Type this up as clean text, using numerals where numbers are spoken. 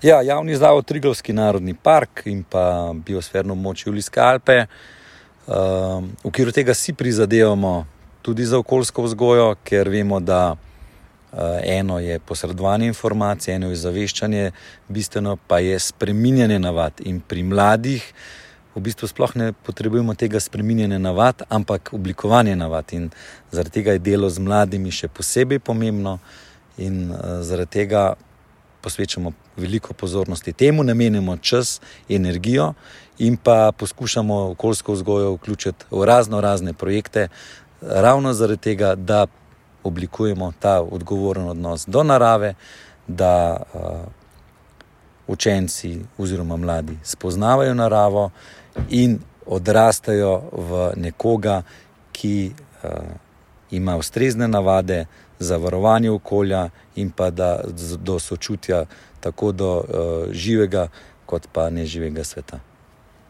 Ja, javni zavod Triglavski narodni park in pa biosferno območje Julijske Alpe. V okviru tega si prizadevamo tudi za okoljsko vzgojo, ker vemo, da eno je posredovanje informacij, eno je zaveščanje, bistveno pa je spreminjanje navad. In pri mladih v bistvu sploh ne potrebujemo tega spreminjanja navad, ampak oblikovanje navad. In zaradi tega je delo z mladimi še posebej pomembno in zaradi tega posvečamo veliko pozornosti temu, namenimo čas, energijo in pa poskušamo okoljsko vzgojo vključiti v razne projekte, ravno zaradi tega, da oblikujemo ta odgovoren odnos do narave, da učenci oziroma mladi spoznavajo naravo in odrastajo v nekoga, ki ima ustrezne navade za varovanje okolja in pa do sočutja tako do živega kot pa neživega sveta.